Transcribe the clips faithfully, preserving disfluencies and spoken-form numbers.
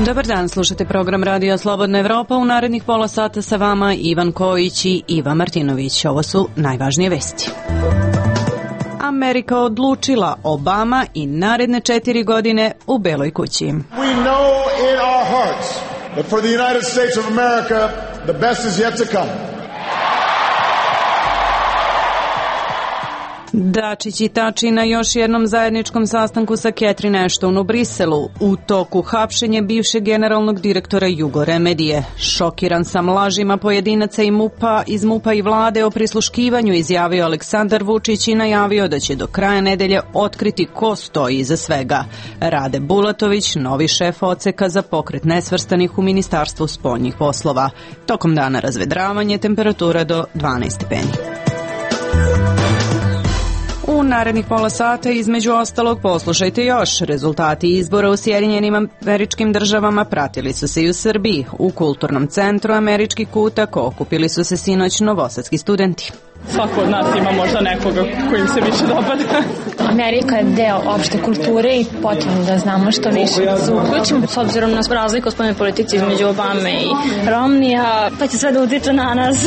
Dobar dan, slušate program Radio Slobodna Evropa. U narednih pola sata sa vama Ivan Kojić i Iva Martinović. Ovo su najvažnije vesti. Amerika odlučila, Obama i naredne četiri godine u Beloj kući. We know in our hearts that for the United States of America the best is yet to come. Dačić i Tači na još jednom zajedničkom sastanku sa Catherine Ashton u Briselu. U toku hapšenje bivšeg generalnog direktora Jugoremedije. Šokiran sam lažima pojedinaca i MUP-a, iz MUP-a i vlade o prisluškivanju, izjavio Aleksandar Vučić i najavio da će do kraja nedelje otkriti ko stoji iza svega. Rade Bulatović, novi šef odseka za pokret nesvrstanih u Ministarstvu spoljnih poslova. Tokom dana razvedravanje, temperatura do dvanaest stepeni. U narednih pola sata između ostalog poslušajte još. Rezultati izbora u Sjedinjenim Američkim Državama pratili su se i u Srbiji. U kulturnom centru Američki kutak okupili su se sinoć novosadski studenti. Svako od nas ima možda nekoga kojim se više dopada. Amerika je deo opšte kulture i potrebno da znamo što više da se uključimo. S obzirom na razliku u spoljnoj politici između Obame i Romnija, pa će sve da utiče na nas.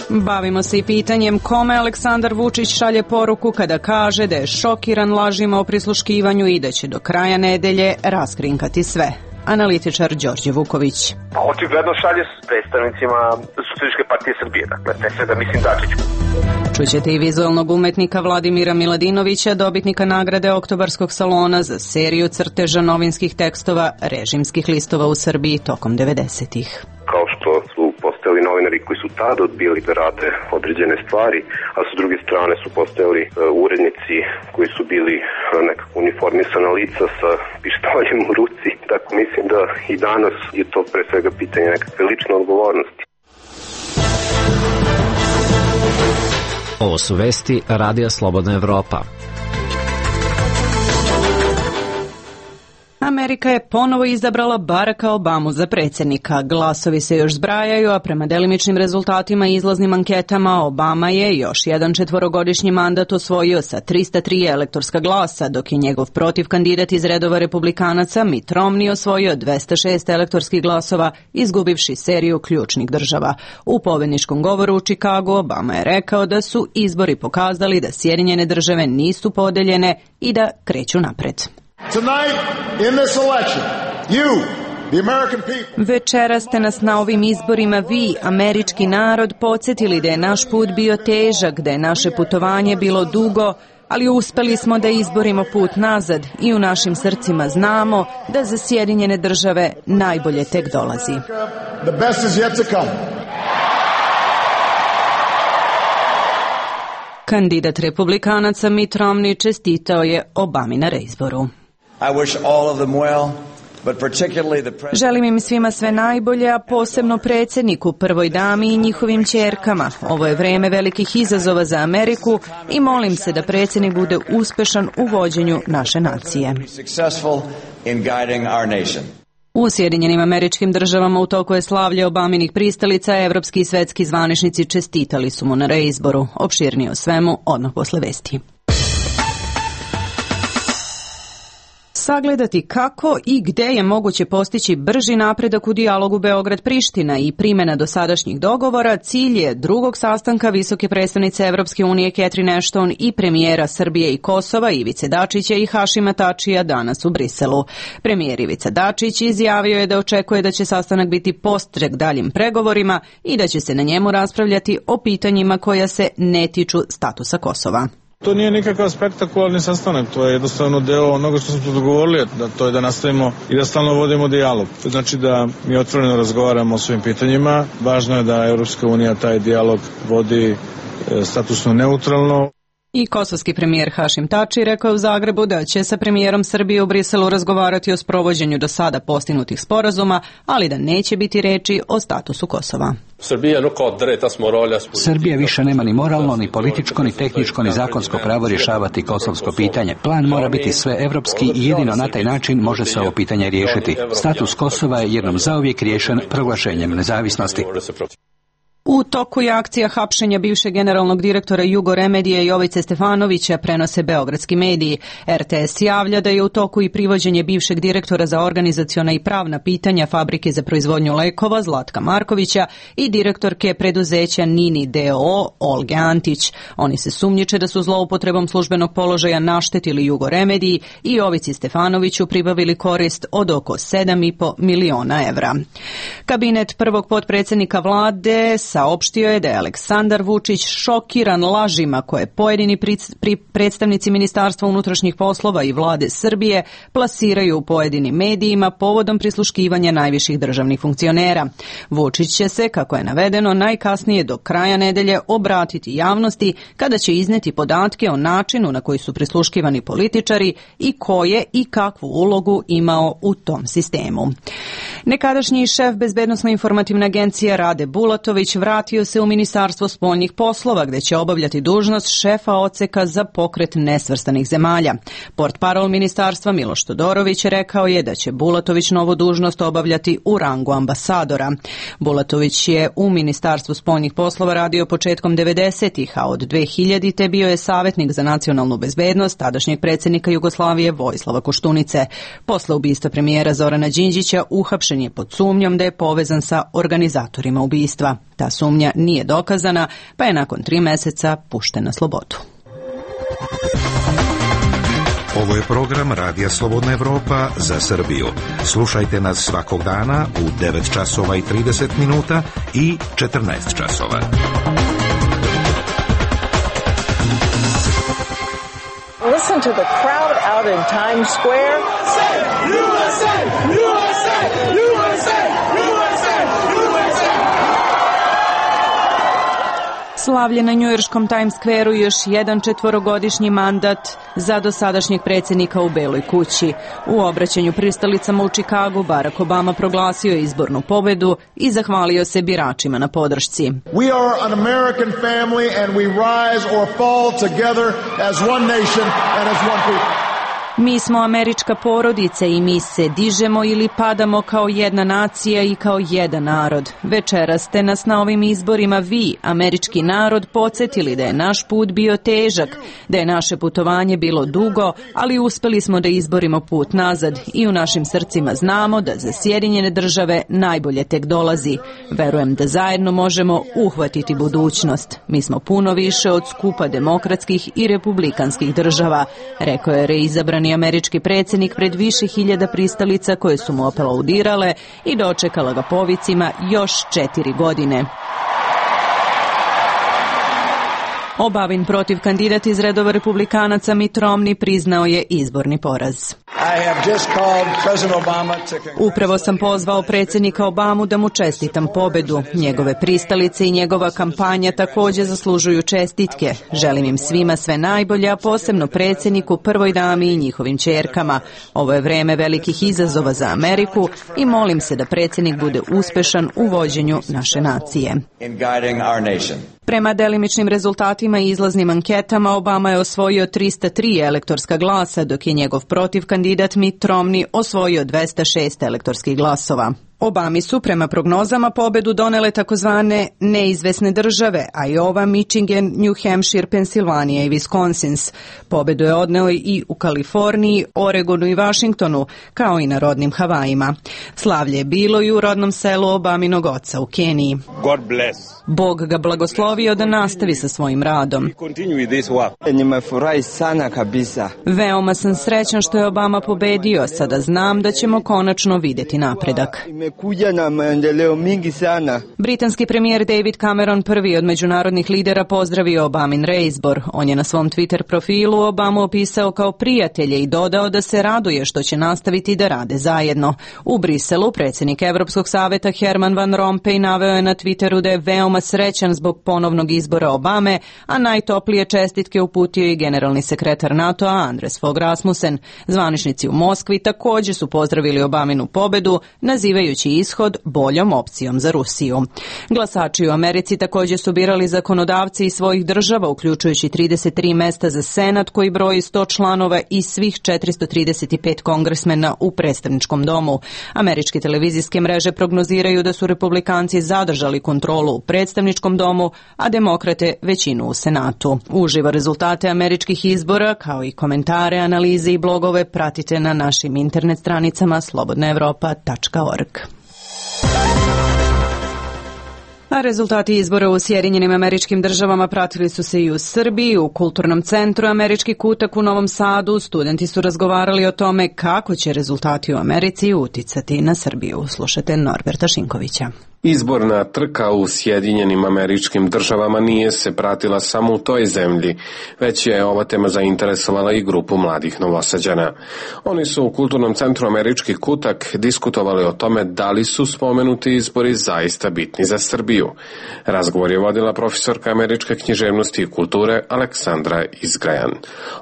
Bavimo se i pitanjem kome Aleksandar Vučić šalje poruku kada kaže da je šokiran lažima o prisluškivanju i da će do kraja nedelje raskrinkati sve. Analitičar Đorđe Vuković. Pa očigledno šalje s predstavnicima Socijalističke partije Srbije, dakle, te sve da mislim Dačiću. Čućete i vizualnog umetnika Vladimira Miladinovića, dobitnika nagrade Oktobarskog salona za seriju crteža novinskih tekstova režimskih listova u Srbiji tokom devedesetih. Kao što su postojali novinari koji su tada odbili da rade određene stvari, a sa druge strane su postojali uh, urednici koji su bili uh, nekako uniformisana lica sa pištoljem u ruci. Tako mislim da i danas je to pre svega pitanje nekakve lične odgovornosti. Ovo su vesti Radija Slobodna Evropa. Amerika je ponovo izabrala Baracka Obamu za predsjednika. Glasovi se još zbrajaju, a prema delimičnim rezultatima i izlaznim anketama Obama je još jedan četvorogodišnji mandat osvojio sa trista tri elektorska glasa, dok je njegov protiv kandidat iz redova republikanaca Mitt Romney osvojio dvesta šest elektorskih glasova, izgubivši seriju ključnih država. U pobedničkom govoru u Čikagu Obama je rekao da su izbori pokazali da Sjedinjene države nisu podeljene i da kreću napred. Večera ste nas na ovim izborima vi, američki narod, podsjetili da je naš put bio težak, da je naše putovanje bilo dugo, ali uspeli smo da izborimo put nazad i u našim srcima znamo da za Sjedinjene države najbolje tek dolazi. Kandidat republikanaca Mitt Romney čestitao je Obami na reizboru. Želim im svima sve najbolje, a posebno predsjedniku, prvoj dami i njihovim ćerkama. Ovo je vreme velikih izazova za Ameriku i molim se da predsjednik bude uspešan u vođenju naše nacije. U Sjedinjenim Američkim Državama u toku je slavlje Obaminih pristalica, evropski i svetski zvaničnici čestitali su mu na reizboru. Opširnije o svemu odmah posle vesti. Sagledati kako i gde je moguće postići brži napredak u dijalogu Beograd-Priština i primjena dosadašnjih dogovora, cilj je drugog sastanka visoke predstavnice Evropske unije Catherine Ashton i premijera Srbije i Kosova Ivice Dačića i Hašima Tačija danas u Briselu. Premijer Ivica Dačić izjavio je da očekuje da će sastanak biti postrek daljim pregovorima i da će se na njemu raspravljati o pitanjima koja se ne tiču statusa Kosova. To nije nikakav spektakularni sastanak, to je jednostavno deo onoga što smo tu dogovorili, da to je da nastavimo i da stalno vodimo dijalog. To znači da mi otvoreno razgovaramo o svim pitanjima. Važno je da Evropska unija taj dijalog vodi statusno neutralno. I kosovski premijer Hašim Tači rekao je u Zagrebu da će sa premijerom Srbije u Briselu razgovarati o sprovođenju do sada postignutih sporazuma, ali da neće biti reči o statusu Kosova. Srbija više nema ni moralno, ni političko, ni tehničko, ni zakonsko pravo rješavati kosovsko pitanje. Plan mora biti sve evropski i jedino na taj način može se ovo pitanje riješiti. Status Kosova je jednom zauvijek riješen proglašenjem nezavisnosti. U toku je akcija hapšenja bivšeg generalnog direktora Jugoremedije Jovice Stefanovića, prenose beogradski mediji. er te es javlja da je u toku i privođenje bivšeg direktora za organizaciona i pravna pitanja Fabrike za proizvodnju lekova Zlatka Markovića i direktorke preduzeća Nini d o o Olge Antić. Oni se sumnjiče da su zloupotrebom službenog položaja naštetili Jugoremediji i Jovici Stefanoviću pribavili korist od oko sedam i po miliona evra. Kabinet prvog potpredsjednika vlade saopštio je da je Aleksandar Vučić šokiran lažima koje pojedini predstavnici Ministarstva unutrašnjih poslova i vlade Srbije plasiraju u pojedinim medijima povodom prisluškivanja najviših državnih funkcionera. Vučić će se, kako je navedeno, najkasnije do kraja nedelje obratiti javnosti kada će izneti podatke o načinu na koji su prisluškivani političari i koje i kakvu ulogu imao u tom sistemu. Nekadašnji šef Bezbednosno-informativne agencije Rade Bulatović vratio se u Ministarstvo spoljnih poslova gde će obavljati dužnost šefa odseka za pokret nesvrstanih zemalja. Portparol ministarstva Miloš Todorović rekao je da će Bulatović novu dužnost obavljati u rangu ambasadora. Bulatović je u Ministarstvu spoljnih poslova radio početkom devedesetih, a od dve hiljadite bio je savjetnik za nacionalnu bezbednost tadašnjeg predsjednika Jugoslavije Vojislava Koštunice. Posle ubistva premijera Zorana Đinđića uhapšen je pod sumnjom da je povezan sa organizatorima ubistva. Ta sumnja nije dokazana, pa je nakon tri meseca pušten na slobodu. Ovo je program Radija Slobodna Evropa za Srbiju. Slušajte nas svakog dana u devet časova i trideset minuta i četrnaest časova. Listen to the crowd out in Times Square. U S A! U S A! U S A! U S A! U S A! Slavlje na njujorškom Times Square-u još jedan četvorogodišnji mandat za dosadašnjeg predsjednika u Beloj kući. U obraćanju pristalicama u Čikagu Barack Obama proglasio je izbornu pobedu i zahvalio se biračima na podršci. We are an American family and we rise or fall together as one nation and as one people. Mi smo američka porodica i mi se dižemo ili padamo kao jedna nacija i kao jedan narod. Večeras ste nas na ovim izborima vi, američki narod, podsjetili da je naš put bio težak, da je naše putovanje bilo dugo, ali uspeli smo da izborimo put nazad i u našim srcima znamo da za Sjedinjene države najbolje tek dolazi. Verujem da zajedno možemo uhvatiti budućnost. Mi smo puno više od skupa demokratskih i republikanskih država, rekao je reizabrani američki predsjednik pred više hiljada pristalica koje su mu aplaudirale i dočekala ga povicima još četiri godine. Obavin protiv kandidat iz redova republikanaca Mitt Romney priznao je izborni poraz. Upravo sam pozvao predsjednika Obamu da mu čestitam pobedu. Njegove pristalice i njegova kampanja također zaslužuju čestitke. Želim im svima sve najbolje, a posebno predsjedniku, prvoj dami i njihovim ćerkama. Ovo je vreme velikih izazova za Ameriku i molim se da predsjednik bude uspešan u vođenju naše nacije. Prema delimičnim rezultatima i izlaznim anketama, Obama je osvojio trista tri elektorska glasa, dok je njegov protiv kandidat Mitt Romney osvojio dvesta šest elektorskih glasova. Obami su prema prognozama pobedu donele takozvane neizvesne države, Iowa, Michigan, New Hampshire, Pensilvanija i Wisconsin. Pobedu je odneo i u Kaliforniji, Oregonu i Washingtonu, kao i na rodnim Havajima. Slavlje je bilo i u rodnom selu Obaminog oca u Keniji. God bless. Bog ga blagoslovio da nastavi sa svojim radom. Veoma sam srećan što je Obama pobedio, sada znam da ćemo konačno vidjeti napredak. Britanski premijer David Cameron, prvi od međunarodnih lidera, pozdravio Obamin reizbor. On je na svom Twitter profilu Obamu opisao kao prijatelje i dodao da se raduje što će nastaviti da rade zajedno. U Briselu predsjednik Evropskog saveta Herman Van Rompuy naveo je na Twitteru da je veoma srećan zbog ponovnog izbora Obame, a najtoplije čestitke uputio i generalni sekretar NATO-a Anders Fogh Rasmussen. Zvaničnici u Moskvi također su pozdravili Obaminu pobedu, nazivajući smatrajući ishod boljom opcijom za Rusiju. Glasači u Americi također su birali zakonodavci iz svojih država, uključujući trideset tri mesta za Senat koji broji sto članova i svih četiristo trideset pet kongresmena u predstavničkom domu. Američke televizijske mreže prognoziraju da su republikanci zadržali kontrolu u predstavničkom domu, a demokrate većinu u Senatu. Uživo rezultate američkih izbora, kao i komentare, analize i blogove pratite na našim internet stranicama slobodna evropa tačka org. A rezultati izbora u Sjedinjenim Američkim Državama pratili su se i u Srbiji. U Kulturnom centru Američki kutak u Novom Sadu studenti su razgovarali o tome kako će rezultati u Americi uticati na Srbiju. Slušajte Norberta Šinkovića. Izborna trka u Sjedinjenim Američkim Državama nije se pratila samo u toj zemlji, već je ova tema zainteresovala i grupu mladih Novosađana. Oni su u Kulturnom centru Američki kutak diskutovali o tome da li su spomenuti izbori zaista bitni za Srbiju. Razgovor je vodila profesorka američke književnosti i kulture Aleksandra Izgrajan.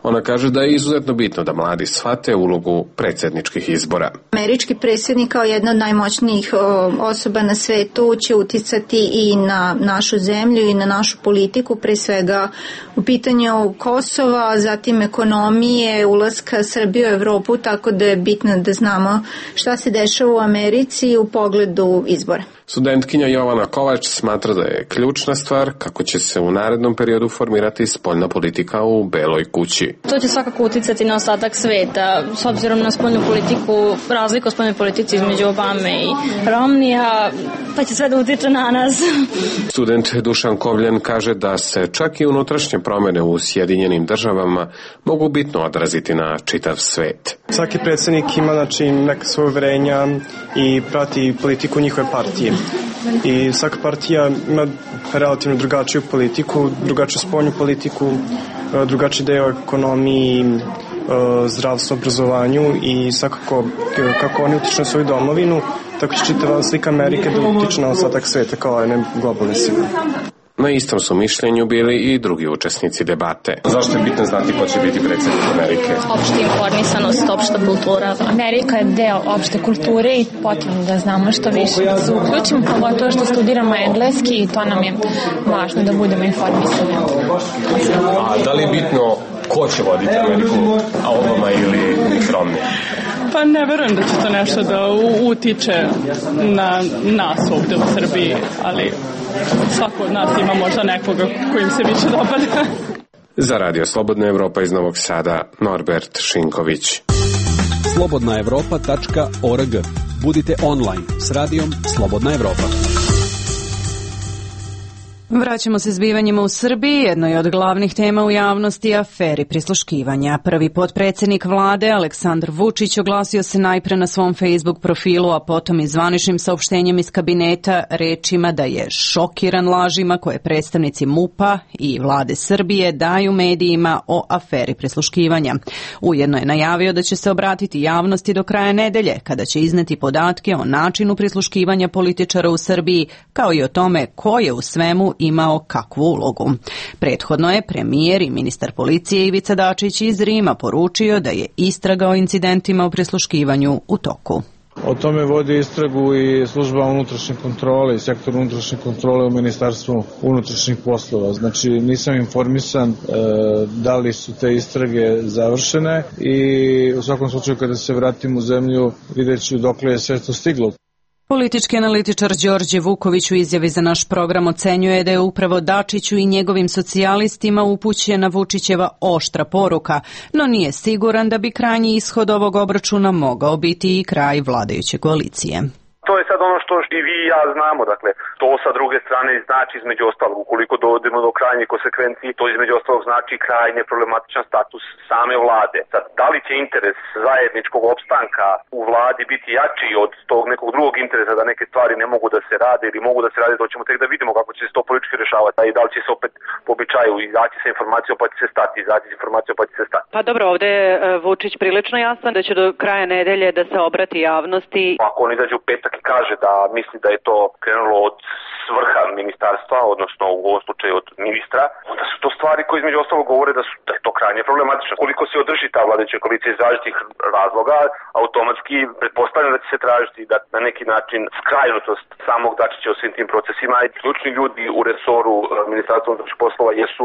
Ona kaže da je izuzetno bitno da mladi shvate ulogu predsjedničkih izbora. Američki predsjednik kao jedna od najmoćnijih osoba na svetu će uticati i na našu zemlju i na našu politiku, pre svega u pitanju Kosova, zatim ekonomije, ulaska Srbije u Evropu, tako da je bitno da znamo šta se dešava u Americi u pogledu izbora. Studentkinja Jovana Kovač smatra da je ključna stvar kako će se u narednom periodu formirati spoljna politika u Beloj kući. To će svakako uticati na ostatak sveta, s obzirom na spoljnu politiku, razliku u spoljnoj politici između Obame i Romnija, pa će sve da utiče na nas. Student Dušan Kovljen kaže da se čak i unutrašnje promjene u Sjedinjenim Državama mogu bitno odraziti na čitav svet. Svaki predsjednik ima znači, neka svoje uverenja i prati politiku njihove partije. I svaka partija ima relativno drugačiju politiku, drugačiju spoljnu politiku, drugačiji deo ekonomiji, zdravstvu, obrazovanju i svakako kako oni utiču na svoju domovinu, tako će čitava slika Amerike da utiče na ostatak sveta kao jedne globalne sile. Na istom su mišljenju bili i drugi učesnici debate. Zašto je bitno znati ko će biti predsjednik Amerike? Opšta informisanost, opšta kultura. Amerika je deo opšte kulture i potrebno da znamo što više da se uključimo, pogotovo što studiramo engleski i to nam je važno da budemo informisani. A da li je bitno ko će voditi Ameriku, Obama ili Romney? Pa ne verujem da će to nešto da utiče na nas ovdje u Srbiji, ali svako od nas ima možda nekoga kojim se više dopada. Za Radio Slobodna Evropa iz Novog Sada, Norbert Šinković. slobodna evropa tačka org. Budite online s radijom Slobodna Evropa. Vraćamo se zbivanjima u Srbiji. Jedno je od glavnih tema u javnosti aferi prisluškivanja. Prvi potpredsjednik vlade Aleksandar Vučić oglasio se najpre na svom Facebook profilu, a potom i zvaničnim saopštenjem iz kabineta rečima da je šokiran lažima koje predstavnici MUP-a i vlade Srbije daju medijima o aferi prisluškivanja. Ujedno je najavio da će se obratiti javnosti do kraja nedelje, kada će izneti podatke o načinu prisluškivanja političara u Srbiji, kao i o tome ko je u svemu imao kakvu ulogu. Prethodno je premijer i ministar policije Ivica Dačić iz Rima poručio da je istraga o incidentima u prisluškivanju u toku. O tome vodi istragu i služba unutrašnje kontrole i sektor unutrašnje kontrole u Ministarstvu unutrašnjih poslova. Znači nisam informisan e, da li su te istrage završene i u svakom slučaju kada se vratim u zemlju vidjet ću dokle je sve to stiglo. Politički analitičar Đorđe Vuković u izjavi za naš program ocenjuje da je upravo Dačiću i njegovim socijalistima upućena Vučićeva oštra poruka, no nije siguran da bi krajnji ishod ovog obračuna mogao biti i kraj vladajuće koalicije. To je sad ono što i vi i ja znamo, dakle, to sa druge strane znači između ostalog, ukoliko dovodimo do krajnjih konsekvenci, to između ostalog znači krajnje problematičan status same vlade. Sad, da li će interes zajedničkog opstanka u vladi biti jači od tog nekog drugog interesa da neke stvari ne mogu da se rade ili mogu da se rade, to ćemo tek da vidimo kako će se to politički rešavati, a i da li će se opet po običaju izaći sa informacijom pa će se stati, izaći sa informacijom pa će se stati. Pa dobro, ovdje je Vučić prilično jasan da će do kraja nedelje da se obrati javnosti. Ako on izađe u petak i kaže da misli da je to krenulo od svrha ministarstva, odnosno u ovom slučaju od ministra, onda su to stvari koje između ostalog govore da, su, da je to krajnje problematično. Koliko se održi ta vladajuća koalicija iz različitih razloga, automatski pretpostavljam da će se tražiti da na neki način skrajnutost samog Dačića u svim tim procesima. I ključni ljudi u resoru ministarstva unutrašnjih poslova jesu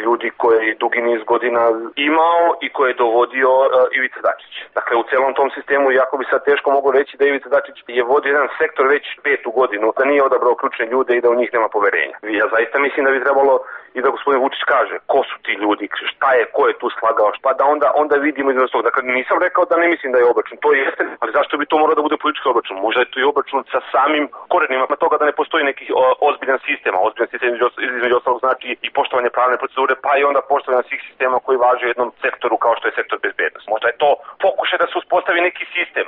ljudi koje je dugi niz godina imao i koje je dovodio uh, Ivica Dačić. Dakle, u celom tom sistemu, jako bi sad teško mogu reći da Ivica Dačić je vodio jedan sektor već petu godinu, da nije odabrao ključne ljude i da u njih nema poverenja. Ja zaista mislim da bi trebalo i da gospodin Vučić kaže ko su ti ljudi, šta je, ko je tu slagao, šta da onda onda vidimo između toga. Dakle, nisam rekao da ne mislim da je obračun, to jeste, ali zašto bi to morao da bude politički obračun? Možda je to i obračun sa samim korenima pa toga da ne postoji neki o, ozbiljan sistem, a ozbiljan sistem između, između ostalog znači i poštovanje pravne procedure, pa i onda poštovanje svih sistema koji važe u jednom sektoru kao što je sektor bezbednosti. Možda je to pokušaj da se uspostavi neki sistem.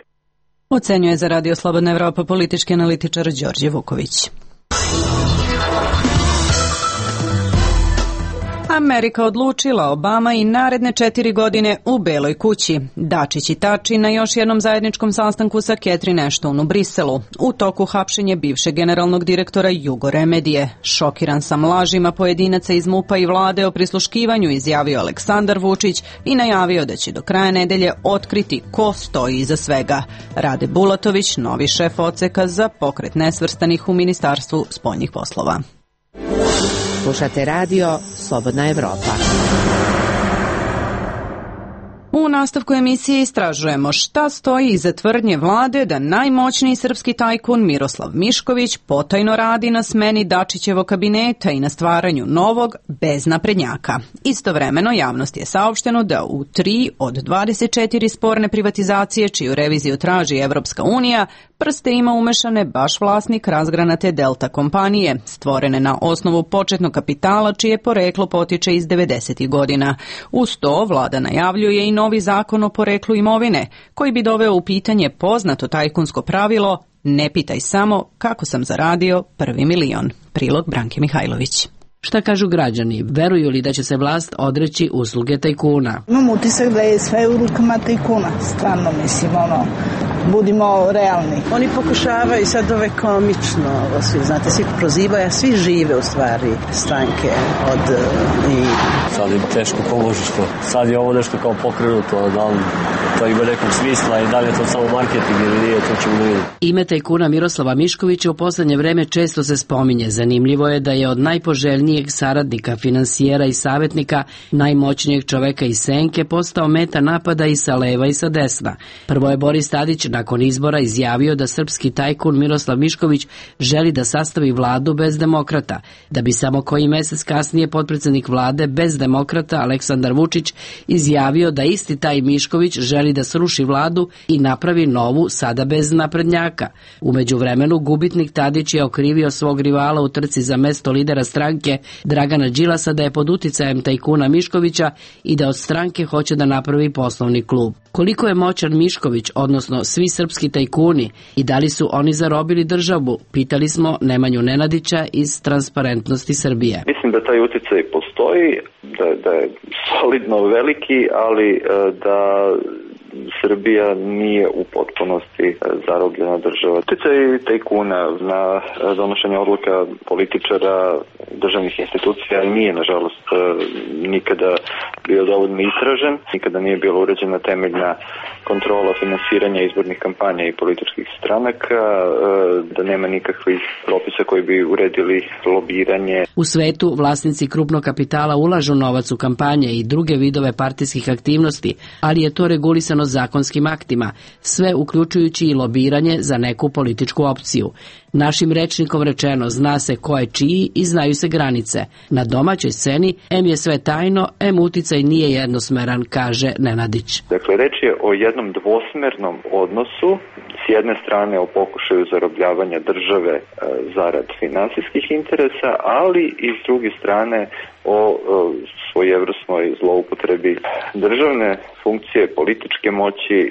Ocenjuje za Radio Slobodna Evropa politički analitičar Đorđe Vuković. Amerika odlučila Obama i naredne četiri godine u Beloj kući. Dačić i Tači na još jednom zajedničkom sastanku sa Catherine Ashton u Briselu. U toku hapšenje bivšeg generalnog direktora Jugoremedije. Šokiran sam lažima pojedinaca iz MUP-a i vlade o prisluškivanju, izjavio Aleksandar Vučić i najavio da će do kraja nedelje otkriti ko stoji iza svega. Rade Bulatović, novi šef odseka za pokret nesvrstanih u Ministarstvu spoljnih poslova. Slušate radio Slobodna Evropa. U nastavku emisije istražujemo šta stoji iza tvrdnje vlade da najmoćniji srpski tajkun Miroslav Mišković potajno radi na smeni Dačićevog kabineta i na stvaranju novog bez naprednjaka. Istovremeno javnosti je saopšteno da u tri od dvadeset četiri sporne privatizacije čiju reviziju traži Evropska unija prste ima umešane baš vlasnik razgranate Delta kompanije, stvorene na osnovu početnog kapitala čije poreklo potiče iz devedesetih godina. Uz to vlada najavljuje i novi zakon o poreklu imovine, koji bi doveo u pitanje poznato tajkunsko pravilo ne pitaj samo kako sam zaradio prvi milion. Prilog Branke Mihajlović. Šta kažu građani? Veruju li da će se vlast odreći usluge tajkuna? Imam utisak da je sve u rukama tajkuna. Stvarno mislim, ono, budimo realni. Oni pokušavaju sad ove komično, ovo svi, znate, svi prozivaju, a svi žive u stvari stranke od i... Sad je teško položište. Sad je ovo nešto kao pokrenuto, da li to ima nekog smisla i da li je to samo marketing ili nije, to ćemo vidjeti. Ime tajkuna Miroslava Miškovića u poslednje vreme često se spominje. Zanimljivo je da je od najpoželjnijeg saradnika, finansijera i savjetnika, najmoćnijeg čoveka iz senke, postao meta napada i sa leva i sa desna. Prvo je Boris Tadić nakon izbora izjavio da srpski tajkun Miroslav Mišković želi da sastavi vladu bez demokrata, da bi samo koji mesec kasnije potpredsednik vlade bez demokrata Aleksandar Vučić izjavio da isti taj Mišković želi da sruši vladu i napravi novu, sada bez naprednjaka. U međuvremenu gubitnik Tadić je okrivio svog rivala u trci za mesto lidera stranke Dragana Đilasa da je pod uticajem tajkuna Miškovića i da od stranke hoće da napravi poslovni klub. Koliko je moćan Mišković, odnosno svi srpski tajkuni, i da li su oni zarobili državu, pitali smo Nemanju Nenadića iz Transparentnosti Srbije. Mislim da taj uticaj postoji, da, da je solidno veliki, ali da Srbija nije u potpunosti zarobljena država. Uticaj tajkuna na donošenje odluka političara, državnih institucija nije, nažalost, nikada bio dovoljno istražen, nikada nije bila uređena temeljna kontrola finansiranja izbornih kampanja i političkih stranaka, da nema nikakvih propisa koji bi uredili lobiranje. U svetu vlasnici krupnog kapitala ulažu novac u kampanje i druge vidove partijskih aktivnosti, ali je to regulisano zakonskim aktima, sve uključujući i lobiranje za neku političku opciju. Našim rečnikom rečeno, zna se ko je čiji i znaju se granice. Na domaćoj sceni em je sve tajno, em uticaj nije jednosmeran, kaže Nenadić. Dakle, reč je o jednom dvosmernom odnosu, s jedne strane o pokušaju zarobljavanja države e, zarad finansijskih interesa, ali i s druge strane o e, svojevrsnoj zloupotrebi državne funkcije, političke moći e,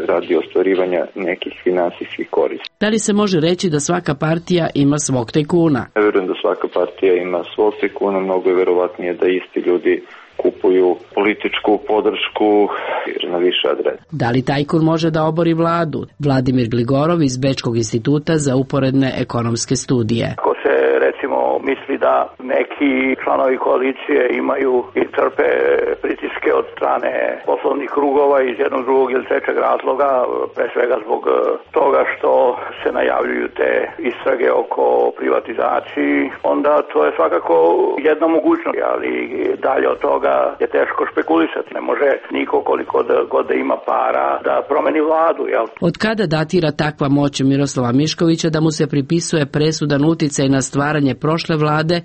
radi ostvarivanja nekih finansijskih koristi. Da li se može reći da svaka partija ima svog tajkuna? Ja verujem da svaka partija ima svog tajkuna, mnogo je verovatnije da isti ljudi kupuju političku podršku na više adrese. Da li tajkun može da obori vladu? Vladimir Gligorov iz Bečkog instituta za uporedne ekonomske studije. Ako se recimo misli da neki članovi koalicije imaju i trpe pritiske od strane poslovnih krugova iz jednog, drugog ili trećeg razloga, pre svega zbog toga što se najavljuju te istrage oko privatizaciji, onda to je svakako jedna mogućnost, ali dalje od toga je teško špekulisati. Ne može niko koliko da, god da ima para da promeni vladu. Jel? Od kada datira takva moć Miroslava Miškovića da mu se pripisuje presudan uticaj na stvaranje prošle vlade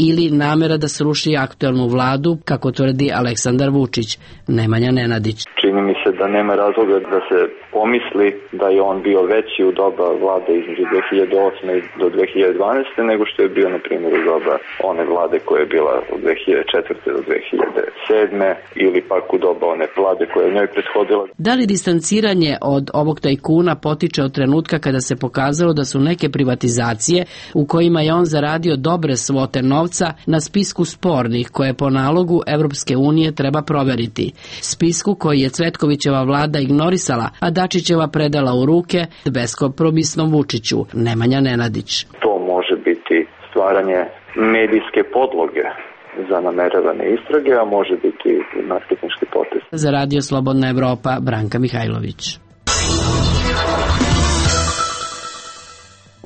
ili namera da sruši aktuelnu vladu, kako tvrdi Aleksandar Vučić? Nemanja Nenadić. Čini mi se da nema razloga da se pomisli da je on bio veći u doba vlade između dve hiljade osme do dve hiljade dvanaeste nego što je bio, na primjer, u doba one vlade koja je bila od dve hiljade četvrte do dve hiljade sedme ili pak u doba one vlade koja je njoj prethodila. Da li distanciranje od ovog tajkuna potiče od trenutka kada se pokazalo da su neke privatizacije u kojima je on zaradio dobre svote novca na spisku spornih koje po nalogu Evropske unije treba proveriti? Spisku koji je Cvetkovićeva vlada ignorisala, a Dačićeva predala u ruke beskompromisnom Vučiću. Nemanja Nenadić. To može biti stvaranje medijske podloge za nameravane istrage, a može biti marketinški potez. Za Radio Slobodna Evropa, Branka Mihajlović.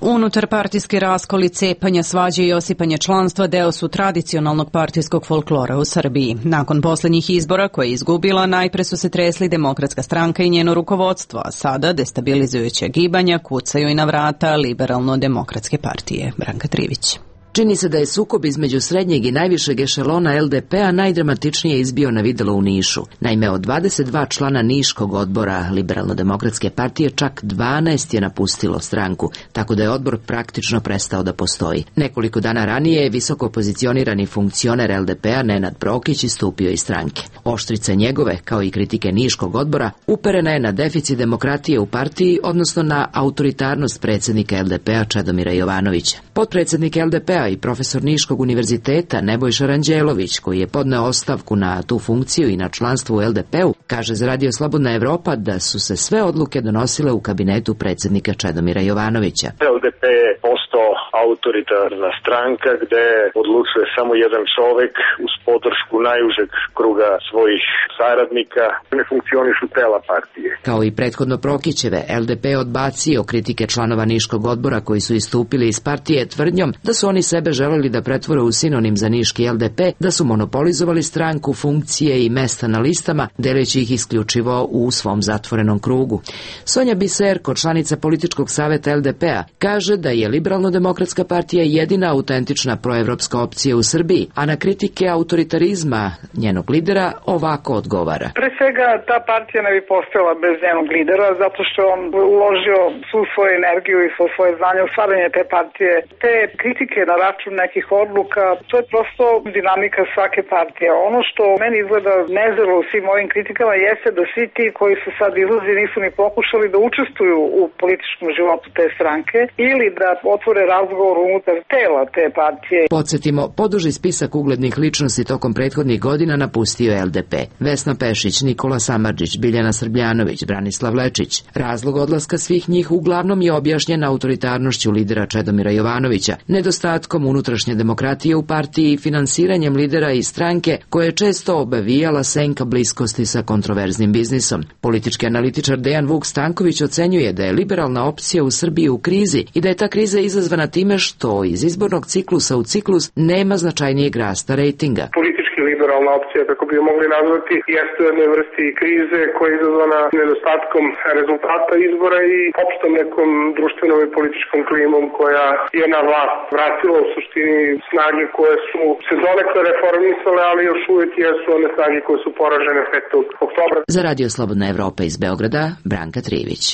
Unutarpartijski raskoli, cepanja, svađe i osipanje članstva deo su tradicionalnog partijskog folklora u Srbiji. Nakon posljednjih izbora koje je izgubila, najpre su se tresli Demokratska stranka i njeno rukovodstvo, a sada destabilizujuće gibanja kucaju i na vrata Liberalno-demokratske partije. Branka Trivić. Čini se da je sukob između srednjeg i najvišeg ešelona el de pe-a najdramatičnije izbio na videlo u Nišu. Naime, od dvadeset dva člana Niškog odbora Liberalno-demokratske partije čak dvanaest je napustilo stranku, tako da je odbor praktično prestao da postoji. Nekoliko dana ranije je visoko pozicionirani funkcioner el de pe-a Nenad Prokić istupio iz stranke. Oštrica njegove, kao i kritike Niškog odbora, uperena je na deficit demokratije u partiji, odnosno na autoritarnost predsjednika el de pe-a Čedomira Jovanovića. Potpredsjednik el de pe-a i profesor Niškog univerziteta Nebojša Ranđelović, koji je podneo ostavku na tu funkciju i na članstvo u el de pe-u, kaže za Radio Slobodna Evropa da su se sve odluke donosile u kabinetu predsjednika Čedomira Jovanovića. el de pe je postao autoritarna stranka gde odlučuje samo jedan čovek uz podršku najužeg kruga svojih saradnika. Ne funkcionišu tela partije. Kao i prethodno Prokićeve, el de pe je odbacio kritike članova Niškog odbora koji su istupili iz partije tvrdnjom da su oni sebe želeli da pretvore u sinonim za niški el de pe, da su monopolizovali stranku, funkcije i mesta na listama, deleći ih isključivo u svom zatvorenom krugu. Sonja Biserko, članica političkog saveta el de pe-a, kaže da je Liberalno-demokratska partija jedina autentična proevropska opcija u Srbiji, a na kritike autoritarizma njenog lidera ovako odgovara. Pre svega, ta partija ne bi postojala bez njenog lidera, zato što on uložio svu svoju energiju i svo svoje znanje u stvaranje te partije. Te kritike na račun nekih odluka, to je prosto dinamika svake partije. Ono što meni izgleda nezrelo u svim ovim kritikama jeste da svi ti koji su sad izlazi nisu ni pokušali da učestvuju u političkom životu te stranke ili da otvore razgovor unutar tela te partije. Podsjetimo, poduži spisak uglednih ličnosti tokom prethodnih godina napustio el de pe. Vesna Pešić, Nikola Samardžić, Biljana Srbljanović, Branislav Lečić. Razlog odlaska svih njih uglavnom je objašnjen autoritarnošću lidera Čedomira Jovanovića, nedostatkom unutrašnje demokratije u partiji i finansiranjem lidera i stranke koje je često obavijala senka bliskosti sa kontroverznim biznisom. Politički analitičar Dejan Vuk Stanković ocenjuje da je liberalna opcija u Srbiji u krizi i da je ta kriza izazvana time što iz izbornog ciklusa u ciklus nema značajnijeg rasta rejtinga. Politički liberalna opcija, kako bi je mogli nazvati, jeste u jednoj vrsti krize koja je izazvana nedostatkom rezultata izbora i opštom nekom društvenom i političkom klimom koja je na vlast vratila u suštini snage koje su se donekle reformisale, ali još uvijek jesu one snage koje su poražene petog oktobra. Za Radio Slobodna Evropa iz Beograda, Branka Trivić.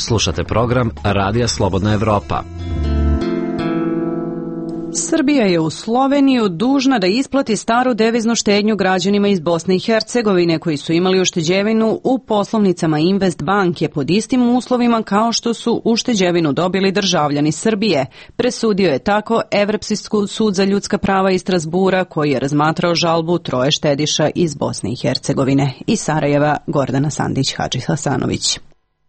Slušate program Radija Slobodna Evropa. Srbija je u Sloveniju dužna da isplati staru deviznu štednju građanima iz Bosne i Hercegovine koji su imali ušteđevinu u poslovnicama Invest banke pod istim uslovima kao što su ušteđevinu dobili državljani Srbije. Presudio je tako Evropski sud za ljudska prava iz Strasbura koji je razmatrao žalbu troje štediša iz Bosne i Hercegovine. Iz Sarajeva Gordana Sandić-Hadži-Hasanović.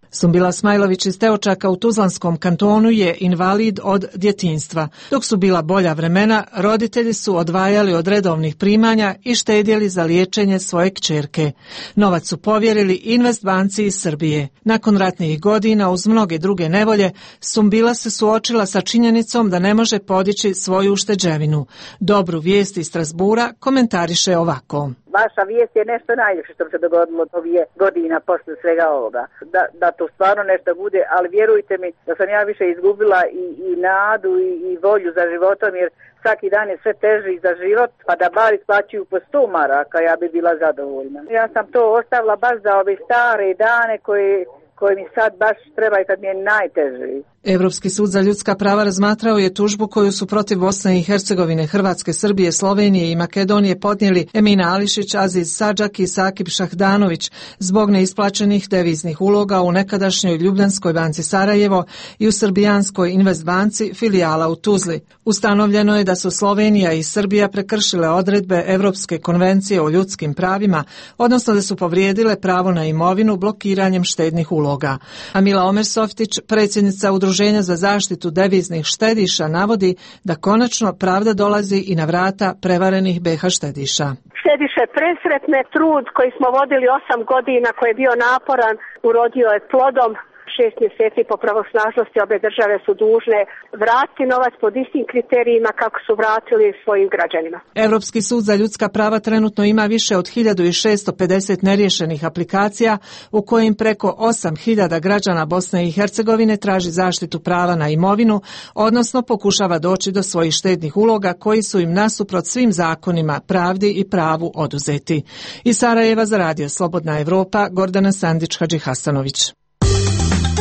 Sumbila Smajlović iz Teočaka u Tuzlanskom kantonu je invalid od djetinjstva. Dok su bila bolja vremena, roditelji su odvajali od redovnih primanja i štedjeli za liječenje svoje kćerke. Novac su povjerili Invest banci iz Srbije. Nakon ratnih godina, uz mnoge druge nevolje, Sumbila se suočila sa činjenicom da ne može podići svoju ušteđevinu. Dobru vijest iz Strasbura komentariše ovako. Vaša vijest je nešto najljepše što mi se dogodilo ovih godina posle svega ovoga. Da, da to stvarno nešto bude, ali vjerujte mi da sam ja više izgubila i, i nadu i, i volju za životom, jer svaki dan je sve teži za život, pa da bar isplaćuju po sto maraka, ja bi bila zadovoljna. Ja sam to ostavila baš za ove stare dane koje, koje mi sad baš treba i kad mi je najteži. Evropski sud za ljudska prava razmatrao je tužbu koju su protiv Bosne i Hercegovine, Hrvatske, Srbije, Slovenije i Makedonije podnijeli Emina Ališić, Aziz Sadžak i Sakib Šahdanović zbog neisplaćenih deviznih uloga u nekadašnjoj Ljubljanskoj banci Sarajevo i u Srbijanskoj Invest banci filijala u Tuzli. Ustanovljeno je da su Slovenija i Srbija prekršile odredbe Evropske konvencije o ljudskim pravima, odnosno da su povrijedile pravo na imovinu blokiranjem štednih uloga. Amila Omersoftić, predsjednica Udruženja za zaštitu deviznih štediša, navodi da konačno pravda dolazi i na vrata prevarenih be ha štediša. Štediše presretne, trud koji smo vodili osam godina, koji je bio naporan, urodio je plodom. Šest mjeseci po pravosnažnosti obe države su dužne vratiti novac pod istim kriterijima kako su vratili svojim građanima. Evropski sud za ljudska prava trenutno ima više od hiljadu šesto pedeset neriješenih aplikacija u kojim preko osam hiljada građana Bosne i Hercegovine traži zaštitu prava na imovinu, odnosno pokušava doći do svojih štednih uloga koji su im nasuprot svim zakonima, pravdi i pravu oduzeti. Iz Sarajeva za radio Slobodna Evropa, Gordana Sandić-Hadži-Hasanović.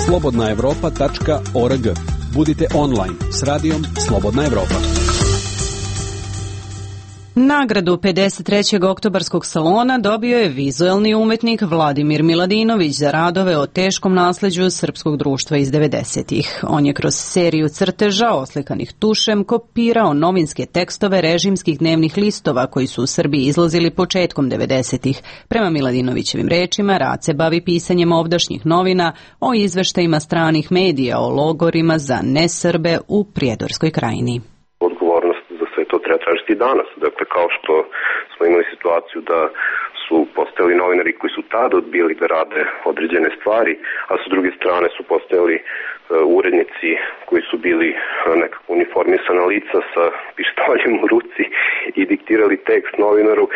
slobodna evropa tačka org. Budite online s radijom Slobodna Evropa. Nagradu pedeset trećeg oktobarskog salona dobio je vizuelni umetnik Vladimir Miladinović za radove o teškom nasleđu srpskog društva iz devedesetih. On je kroz seriju crteža oslikanih tušem kopirao novinske tekstove režimskih dnevnih listova koji su u Srbiji izlazili početkom devedesetih. Prema Miladinovićevim rečima, rad se bavi pisanjem ovdašnjih novina o izveštajima stranih medija o logorima za nesrbe u Prijedorskoj krajini. To treba tražiti danas. Dakle, kao što smo imali situaciju da su postojali novinari koji su tada odbili da rade određene stvari, a sa druge strane su postojali uh, urednici koji su bili uh, nekako uniformisana lica sa pištoljem u ruci i diktirali tekst novinaru. Uh,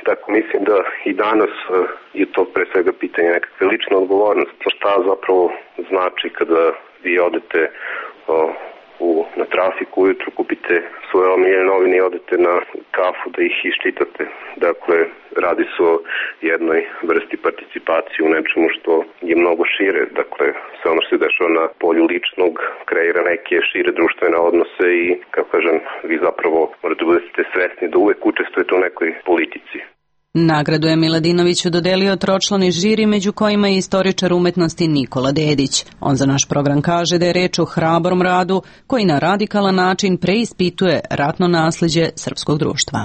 tako mislim da i danas uh, je to pre svega pitanje nekakve lične odgovornosti. Šta zapravo znači kada vi odete uh, U, na trafiku ujutru, kupite svoje omiljene novine i odete na kafu da ih iščitate. Dakle, radi se o jednoj vrsti participacije u nečemu što je mnogo šire. Dakle, sve ono što se dešava na polju ličnog kreira neke šire društvene odnose i, kako kažem, vi zapravo morate budete svesni da uvek učestvujete u nekoj politici. Nagradu je Miladinoviću dodelio tročlani žiri, među kojima je istoričar umetnosti Nikola Dedić. On za naš program kaže da je reč o hrabrom radu koji na radikalan način preispituje ratno nasleđe srpskog društva.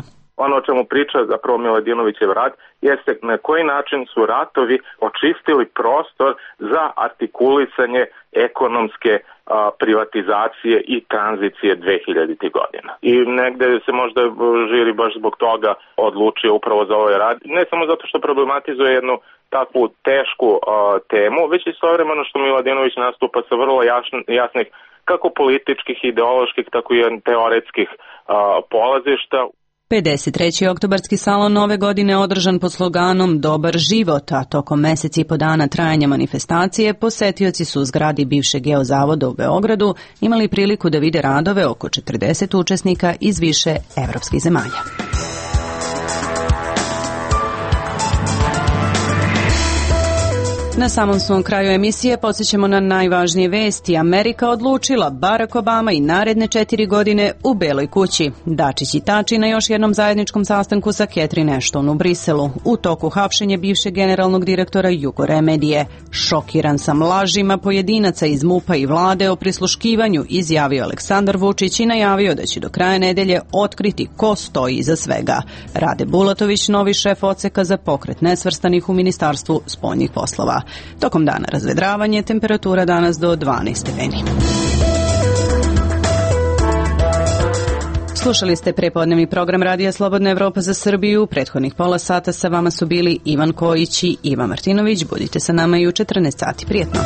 Ono o čemu priča zapravo Miladinovićev rad jeste na koji način su ratovi očistili prostor za artikulisanje ekonomske a, privatizacije i tranzicije dvehiljaditih godina. I negde se možda žiri baš zbog toga odlučio upravo za ovaj rad, ne samo zato što problematizuje jednu takvu tešku a, temu, već istovremeno što Miladinović nastupa sa vrlo jasn, jasnih kako političkih, ideoloških, tako i teoretskih a, polazišta. pedeset treći oktobarski salon ove godine održan pod sloganom Dobar život, a tokom meseci i po dana trajanja manifestacije posetioci su u zgradi bivšeg Geozavoda u Beogradu imali priliku da vide radove oko četrdeset učesnika iz više evropskih zemalja. Na samom svom kraju emisije podsjećamo na najvažnije vesti. Amerika odlučila Barack Obama i naredne četiri godine u Beloj kući. Dačić i Tači na još jednom zajedničkom sastanku sa Catherine Ashton u Briselu. U toku hapšenje bivšeg generalnog direktora Jugoremedije. Šokiran sam lažima pojedinaca iz MUP-a i vlade o prisluškivanju, izjavio Aleksandar Vučić i najavio da će do kraja nedelje otkriti ko stoji iza svega. Rade Bulatović, novi šef odseka za pokret nesvrstanih u Ministarstvu spoljnih poslova. Tokom dana razvedravanje, temperatura danas do dvanaest stepeni. Slušali ste prepodnevni program Radija Slobodna Evropa za Srbiju. Prethodnih pola sata sa vama su bili Ivan Kojić i Iva Martinović. Budite sa nama i u četrnaest sati. Prijetno.